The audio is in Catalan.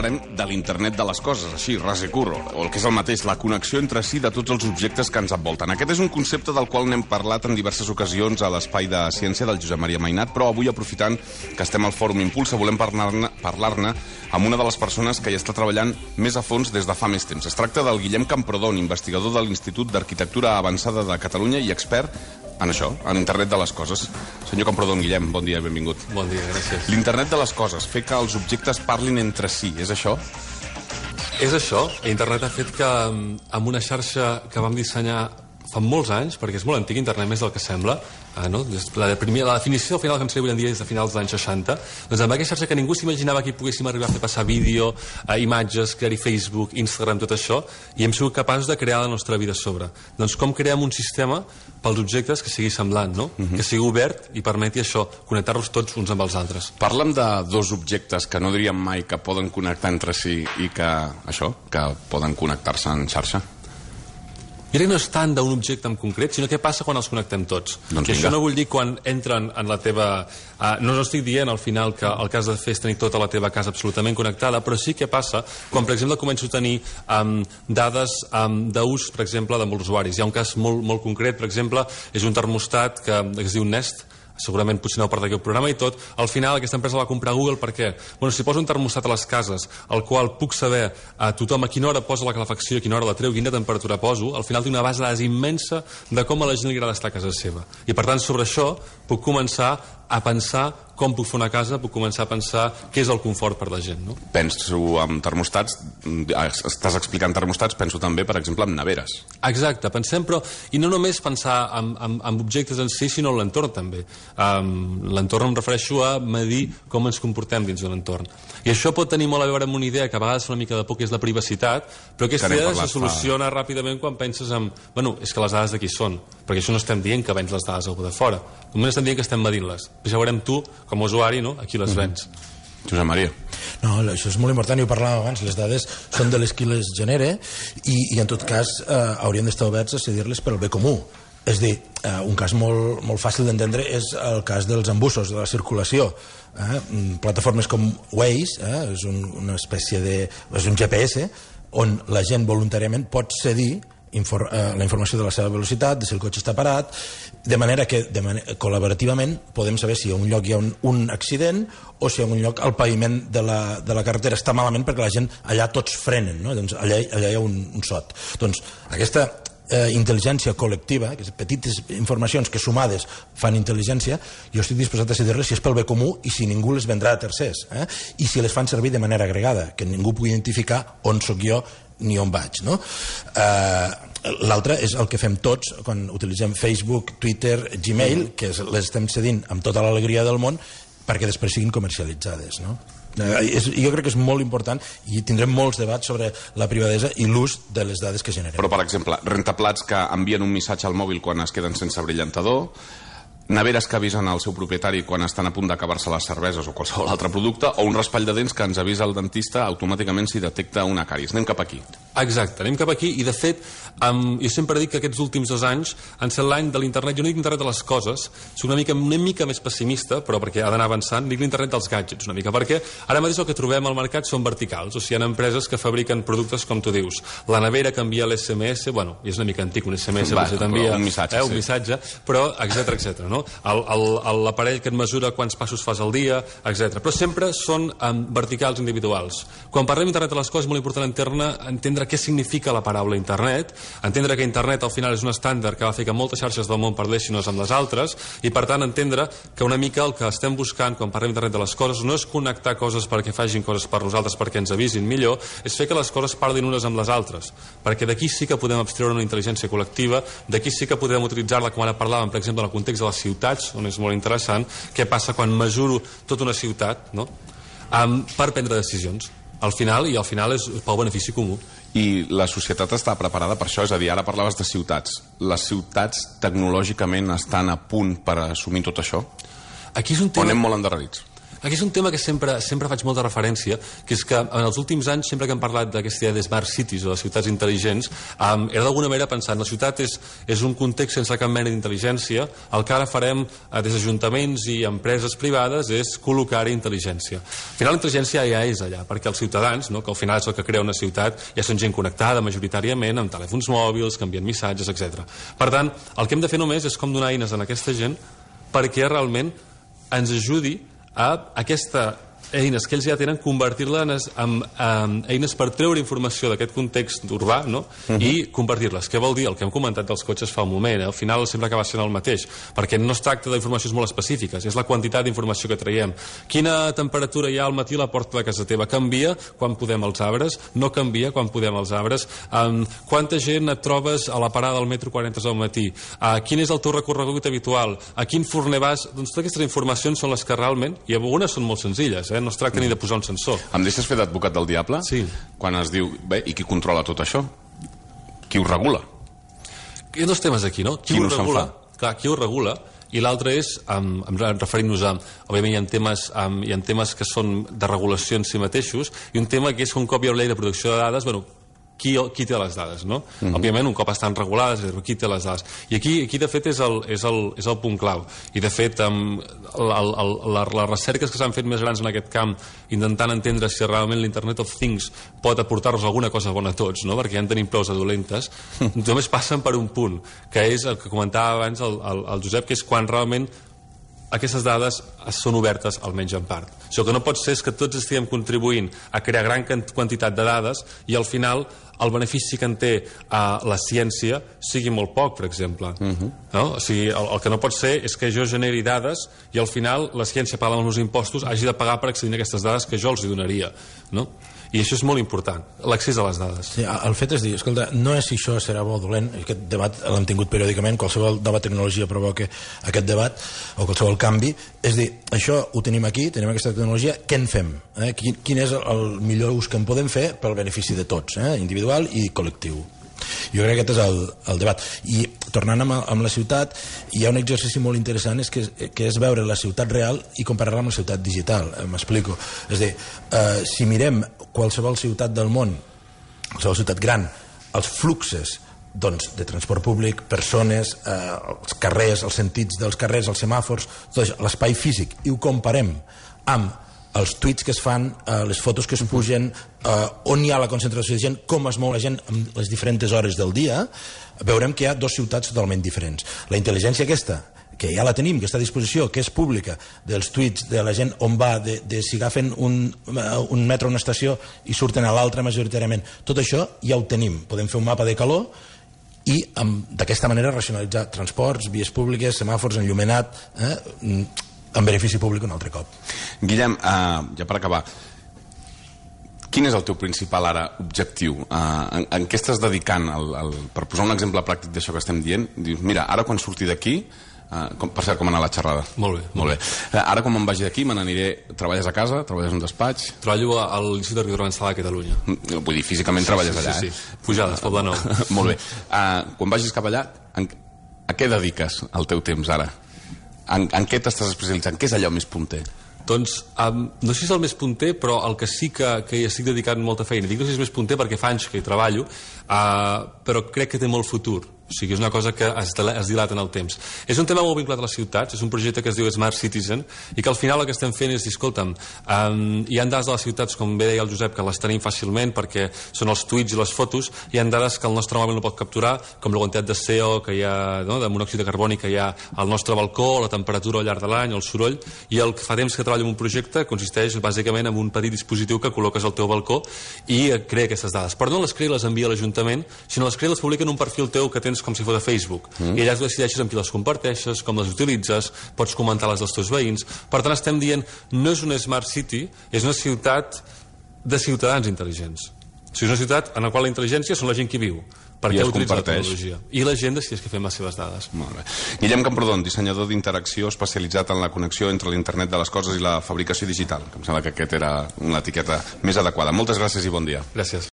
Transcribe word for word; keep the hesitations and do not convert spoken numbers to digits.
parlarem de l'internet de les coses, així, ras i curro, o el que és el mateix, la connexió entre si de tots els objectes que ens envolten. Aquest és un concepte del qual n'hem parlat en diverses ocasions a l'Espai de Ciència del Josep Maria Mainat, però avui, aprofitant que estem al Fòrum Impulsa, volem parlar-ne parlar-ne amb una de les persones que hi està treballant més a fons des de fa més temps. Es tracta del Guillem Camprodon, investigador de l'Institut d'Arquitectura Avançada de Catalunya i expert en això, en internet de les coses. Senyor Camprodon, Guillem, bon dia i benvingut. Bon dia, gràcies. L'internet de les coses, fer que els objectes parlin entre si, és això? És això. Internet ha fet que amb una xarxa que vam dissenyar fa molts anys, perquè és molt antic internet, més del que sembla, eh, no? la, primera, la definició al final que ens avui en dia és de finals dels anys seixanta, doncs amb aquesta xarxa que ningú s'imaginava que hi poguéssim arribar a fer passar vídeo, eh, imatges, crear-hi Facebook, Instagram, tot això, i hem sigut capaços de crear la nostra vida a sobre. Doncs com creem un sistema pels objectes que sigui semblant, no? Uh-huh. Que sigui obert i permeti això, connectar-los tots uns amb els altres. Parla'm de dos objectes que no diríem mai que poden connectar entre si i que, això, que poden connectar-se en xarxa. Mira que no és tant d'un objecte en concret, sinó què passa quan els connectem tots. Doncs I això no vull dir quan entren en la teva... Uh, no, no estic dient al final que el cas de fer és tenir tota la teva casa absolutament connectada, però sí que passa quan, per exemple, començo a tenir um, dades um, d'ús, per exemple, de molts usuaris. Hi ha un cas molt, molt concret, per exemple, és un termostat que, que es diu Nest, segurament potser no per d'aquí el programa i tot. Al final aquesta empresa la va comprar Google per què? Bueno, si poso un termostat a les cases al qual puc saber a tothom a quina hora posa la calefacció, a quina hora la treu, quina temperatura poso, al final té una base de dades immensa de com a la gent li agrada estar a casa seva. I per tant sobre això puc començar a pensar com puc fer una casa, puc començar a pensar què és el confort per la gent, no? Penso en termostats, estàs explicant termostats, penso també, per exemple, en neveres. Exacte, pensem, però... I no només pensar en, en, en objectes en si, sinó en l'entorn també. Um, l'entorn em refereixo a medir com ens comportem dins d'un entorn. I això pot tenir molt a veure amb una idea que a vegades fa una mica de por, que és la privacitat, però aquesta idea se soluciona fa... ràpidament quan penses en... Bueno, és que les dades d'aquí són, perquè això no estem dient que vens les dades a algú de fora. Només estem dient que estem medint-les. Ja veurem tu, com a usuari, no? Aquí les vens. Mm-hmm. Josep Maria. No, això és molt important, i ho parlàvem abans, les dades són de les qui les genera i, i en tot cas eh, haurien d'estar oberts a cedir-les per al bé comú. És a dir, eh, un cas molt, molt fàcil d'entendre és el cas dels embussos, de la circulació. Eh? Plataformes com Waze, eh? és un, una espècie de... és un G P S on la gent voluntàriament pot cedir Infor, eh, la informació de la seva velocitat, de si el cotxe està parat, de manera que de manera, col·laborativament podem saber si a un lloc hi ha un, un accident o si a un lloc el paviment de la, de la carretera està malament perquè la gent allà tots frenen, no? Doncs allà, allà hi ha un, un sot. Doncs aquesta eh, intel·ligència col·lectiva, aquestes petites informacions que sumades fan intel·ligència, jo estic disposat a cedir-les si és pel bé comú i si ningú les vendrà a tercers, eh? I si les fan servir de manera agregada, que ningú pugui identificar on sóc jo ni on vaig, no? Uh, l'altre és el que fem tots quan utilitzem Facebook, Twitter, Gmail, que les estem cedint amb tota l'alegria del món perquè després siguin comercialitzades, no? Uh, és, jo crec que és molt important i tindrem molts debats sobre la privadesa i l'ús de les dades que generem. Però, per exemple, rentaplats que envien un missatge al mòbil quan es queden sense brillantador, neveres que avisen al seu propietari quan estan a punt d'acabar-se les cerveses o qualsevol altre producte, o un raspall de dents que ens avisa el dentista automàticament si detecta una càries. Anem cap aquí. Exacte, anem cap aquí i de fet um, jo sempre dic que aquests últims dos anys han set l'any de l'internet, jo no dic internet de les coses, soc una mica, una mica més pessimista, però perquè ha d'anar avançant, dic l'internet dels gadgets una mica, perquè ara mateix el que trobem al mercat són verticals, o sigui, hi ha empreses que fabriquen productes com tu dius, la nevera que envia l'S M S, bueno, és una mica antic un S M S, Va, però t'envia un missatge, eh, un sí. missatge, però etcètera, etcètera, no? L'aparell que et mesura quants passos fas al dia, etcètera. Però sempre són um, verticals individuals. Quan parlem d'internet de les coses és molt important entendre, entendre què significa la paraula internet, entendre que internet al final és un estàndard que va fer que moltes xarxes del món parlessin unes amb les altres i per tant entendre que una mica el que estem buscant quan parlem d'internet de les coses no és connectar coses perquè facin coses per nosaltres perquè ens avisin millor, és fer que les coses parlin unes amb les altres, perquè d'aquí sí que podem abstreure una intel·ligència col·lectiva, d'aquí sí que podem utilitzar-la com ara parlàvem, per exemple, en el context de les ciutats, on és molt interessant què passa quan mesuro tota una ciutat, no? um, per prendre decisions al final, i al final és pel benefici comú. I la societat està preparada per això? És a dir, ara parlaves de ciutats. Les ciutats tecnològicament estan a punt per assumir tot això? Aquí és un tema... O anem molt endarrerits? Aquí és un tema que sempre, sempre faig molta referència, que és que en els últims anys, sempre que hem parlat d'aquesta idea de smart cities o de ciutats intel·ligents, um, era d'alguna manera pensant, la ciutat és, és un context sense cap mena d'intel·ligència, el que ara farem uh, des d'ajuntaments i empreses privades és col·locar-hi intel·ligència. Al final la intel·ligència ja és allà, perquè els ciutadans, no, que al final és el que crea una ciutat, ja són gent connectada majoritàriament amb telèfons mòbils, que envien missatges, etcètera. Per tant, el que hem de fer només és com donar eines a aquesta gent perquè realment ens ajudi a aquesta eines que ells ja tenen, convertir-les en, en, en eines per treure informació d'aquest context urbà, no? Uh-huh. I compartir-les. Què vol dir? El que hem comentat dels cotxes fa un moment, eh? Al final sempre acaba sent el mateix, perquè no es tracta d'informacions molt específiques, és la quantitat d'informació que traiem. Quina temperatura hi ha al matí a la porta de casa teva? Canvia quan podem els arbres? No canvia quan podem els arbres? Um, quanta gent et trobes a la parada del metro quan entres al matí? Uh, quin és el teu recorregut habitual? A quin forner vas? Doncs totes aquestes informacions són les que realment, i algunes són molt senzilles, eh? No es tracta ni de posar un sensor. Em deixes fer d'advocat del diable? Sí. Quan es diu, bé, i qui controla tot això? Qui ho regula? Hi ha dos temes aquí, no? Qui, qui ho no regula? Clar, qui ho regula? I l'altre és, um, referint-nos a, òbviament hi ha, temes, um, hi ha temes que són de regulació en si mateixos, i un tema que és que un cop hi ha una llei de protecció de dades, bueno, Qui, qui té les dades, no? Uh-huh. Òbviament, un cop estan regulades, qui té les dades. I aquí, aquí de fet, és el, és, el, és el punt clau. I, de fet, um, el, el, el, les recerques que s'han fet més grans en aquest camp, intentant entendre si realment l'Internet of Things pot aportar-nos alguna cosa bona a tots, no? Perquè ja en tenim prou de dolentes, només passen per un punt, que és el que comentava abans el, el, el Josep, que és quan realment aquestes dades són obertes, almenys en part. Això que no pot ser és que tots estiguem contribuint a crear gran quantitat de dades i al final el benefici que en té a la ciència sigui molt poc, per exemple. Uh-huh. No? O sigui, el, el que no pot ser és que jo generi dades i al final la ciència, pagant els meus impostos, hagi de pagar per accedir a aquestes dades que jo els hi donaria. No? I això és molt important, l'accés a les dades. Sí, el fet és dir, escolta, no és si això serà bo o dolent, aquest debat l'hem tingut periòdicament, qualsevol nova tecnologia provoca aquest debat, o qualsevol canvi, és dir, això ho tenim aquí, tenim aquesta tecnologia, què en fem? Eh? Quin, quin és el millor ús que en podem fer pel benefici de tots, eh? Individual i col·lectiu? Jo crec que aquest és el, el debat. I tornant amb, amb la ciutat, hi ha un exercici molt interessant, és que, que és veure la ciutat real i comparar-la amb la ciutat digital. Eh, M'explico. És a dir, eh, si mirem qualsevol ciutat del món, qualsevol ciutat gran, els fluxes doncs, de transport públic, persones, eh, els carrers, els sentits dels carrers, els semàfors, l'espai físic, i ho comparem amb els tuits que es fan, eh, les fotos que es pugen, eh, on hi ha la concentració de gent, com es mou la gent en les diferents hores del dia, veurem que hi ha dues ciutats totalment diferents. La intel·ligència aquesta, que ja la tenim, que està a disposició, que és pública, dels tuits de la gent on va, de, de si agafen un, un metro a una estació i surten a l'altra majoritàriament, tot això ja ho tenim. Podem fer un mapa de calor i d'aquesta manera racionalitzar transports, vies públiques, semàfors, enllumenat, eh, en benefici públic un altre cop. Guillem, uh, ja per acabar, quin és el teu principal ara objectiu? Uh, en, en què estàs dedicant? El, el, per posar un exemple pràctic d'això que estem dient, dius, mira, ara quan surti d'aquí, uh, com, per cert, com anar a la xerrada? Molt bé. Molt bé. Uh, ara quan me'n vagi d'aquí, me n'aniré... Treballes a casa? Treballes en un despatx? Treballo a l'Institut d'Arquitectura Avançada de Catalunya. Vull dir, físicament sí, treballes sí, allà, sí, eh? Sí, Pujades, Poble Nou. Molt bé. Uh, quan vagis cap allà, en, a què dediques el teu temps ara? En, en què t'estàs especialitzant? Què és allò més punter? Doncs, um, no sé si és el més punter, però el que sí que, que hi estic dedicant molta feina. Dic no sé si és més punter perquè fa anys que hi treballo, uh, però crec que té molt futur. O sigui, és una cosa que es, es dilata en el temps. És un tema molt vinculat a les ciutats, és un projecte que es diu Smart Citizen, i que al final el que estem fent és dir, escolta'm, um, hi ha dades de les ciutats, com bé deia el Josep, que les tenim fàcilment perquè són els tuits i les fotos, hi ha dades que el nostre mòbil no pot capturar, com la quantitat de C O que hi ha, no?, de monòxid de carboni que hi ha al nostre balcó, la temperatura al llarg de l'any, el soroll, i el que fa temps que treballo en un projecte consisteix bàsicament en un petit dispositiu que col·loques al teu balcó i crea aquestes dades. Però no les crea i les envia a l'Ajuntament, sinó les crea i les publica en un perfil teu que tens com si fos a Facebook. Mm. I allà tu decideixes amb qui les comparteixes, com les utilitzes, pots comentar-les dels teus veïns. Per tant, estem dient, no és una smart city, és una ciutat de ciutadans intel·ligents. O sigui, és una ciutat en la qual la intel·ligència són la gent que viu, perquè utilitza la tecnologia. I la gent decideix què fer amb les seves dades. Molt bé. Guillem Camprodon, dissenyador d'interacció especialitzat en la connexió entre l'internet de les coses i la fabricació digital, que em sembla que aquesta era una etiqueta més adequada. Moltes gràcies i bon dia. Gràcies.